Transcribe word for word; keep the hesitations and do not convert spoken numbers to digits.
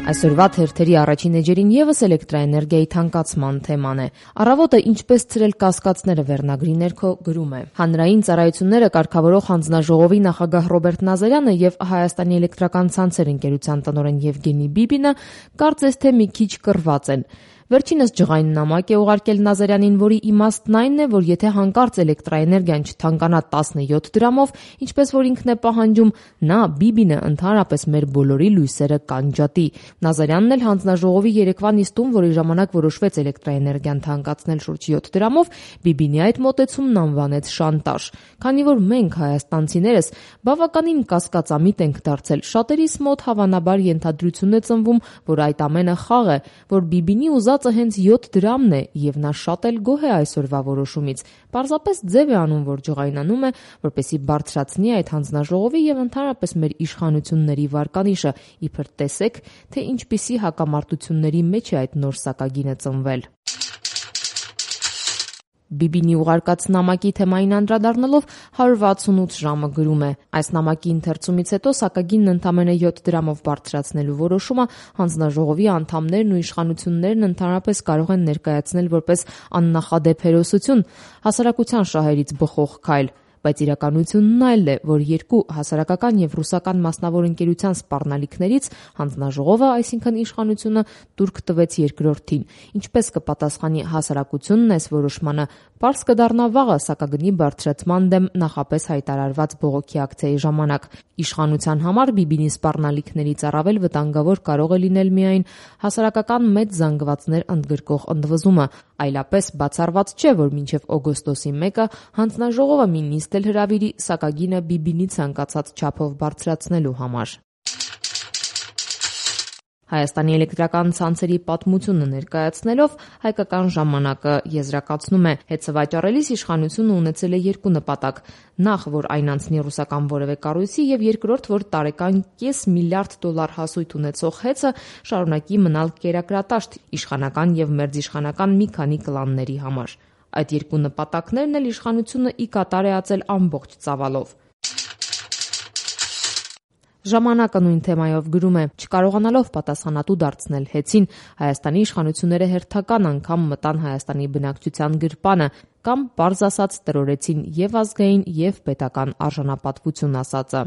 Այսօրվա թերթերի առաջին էջերին ևս էլեկտրաէներգիայի թանկացման թեման է։ Առավոտը ինչպես ցրել կասկածները վերնագրի ներքո գրում է. Հանրային ծառայությունները կարգավորող հանձնաժողովի նախագահ Ռոբերտ Նազարյանը եւ Հայաստանի էլեկտրական ցանցեր ընկերության տնօրեն Եվգենի Բիբինը կարծես թե մի քիչ կռված են։ Վերջինս ջղային նամակ է ուղարկել Նազարյանին, որի իմաստն այն է, որ եթե հանկարծ էլեկտրաէներգիան չթանկանա տասնյոթ դրամով, ինչպես որ ինքն է պահանջում, նա Բիբինը ընդհանրապես մեր բոլորի լույսերը կանջատի։ Նազարյանն էլ հանձնաժողովի երեկվա նիստում, որի ժամանակ որոշվեց էլեկտրաէներգիան թանկացնել շուրջ յոթ դրամով, Բիբինի այդ մոտեցումն անվանեց շանտաժ։ Քանի որ մենք հայաստանցիներս բավականին կասկածամիտ ենք դարձել, շատերիս մոտ հավանաբար ենթադրություն է ծնվում, որ այդ ամենը խաղ է, որ Բիբինի ուզածը հենց յոթ դրամն է եւ նա շատ էլ գոհ է այսօրվա որոշումից։ Պարզապես ձև է անում, որ ջղայնանում է, որպեսզի բարձրացնի այդ հանձնաժողովի եւ ընդհանրապես մեր իշխանությունների վարկանիշը, իբր տեսեք, թե ինչպիսի հակամարտությունների մեջ է այդ նոր սակագինը ծնվել։ Բիբինի ուղարկած նամակի թեմային անդրադառնալով հարյուր վաթսունութ ժամը գրում է. այս նամակի ընթերցումից հետո սակագինն ընդամենը յոթ դրամով բարձրացնելու որոշումը հանձնաժողովի անդամներն ու իշխանություններն ընդհանրապես կարող են ներկայացնել որպես աննախադեպ հերոսություն, հասարակության շահերից բխող քայլ։ Բայց իրականությունն այլ է, որ երկու հասարակական եւ ռուսական մասնավոր ընկերության սպառնալիքներից հանձնաժողովը, այսինքն իշխանությունը, տուրք տվեց երկրորդին։ Ինչպես կպատասխանի հասարակությունն այս որոշմանը, պարզ կդառնա վաղը սակագնի բարձրացման դեմ նախապես հայտարարված բողոքի ակցիայի ժամանակ։ Իշխանության համար Բիբինի սպառնալիքներից առավել վտանգավոր կարող է լինել միայն հասարակական մեծ զանգվածներ ընդգրկող ընդվզումը, այլապես բացառված չէ, որ մինչև օգոստոսի մեկը հանձնաժողովը մի նիստ էլ հրավիրի սակագինը Բիբինի ցանկացած չափով բարձրացնելու համար։ Հայաստանի էլեկտրական ցանցերի պատմությունը ներկայացնելով Հայկական ժամանակը եզրակացնում է. հետ սվաճառելիս իշխանությունը ունեցել է երկու նպատակ. նախ, որ այն անցնի ռուսական որևէ կառույցի, եւ երկրորդ, որ տարեկան կես միլիարդ դոլար հասույթ ունեցող հեծը շարունակի մնալ կերակրատաշտ իշխանական եւ մերձիշխանական մի քանի կլանների համար։ Այդ երկու նպատակներն էլ իշխանությունը ի կատար է ածել ամբողջ ծավալով։ Ժամանակը նույն թեմայով գրում է. չկարողանալով պատասխանատու դարձնել հեծին, Հայաստանի իշխանությունները հերթական անգամ մտան Հայաստանի բնակչության գրպանը կամ պարզ ասած տրորեցին եւ ազգային եւ պետական արժանապատվություն ասածը։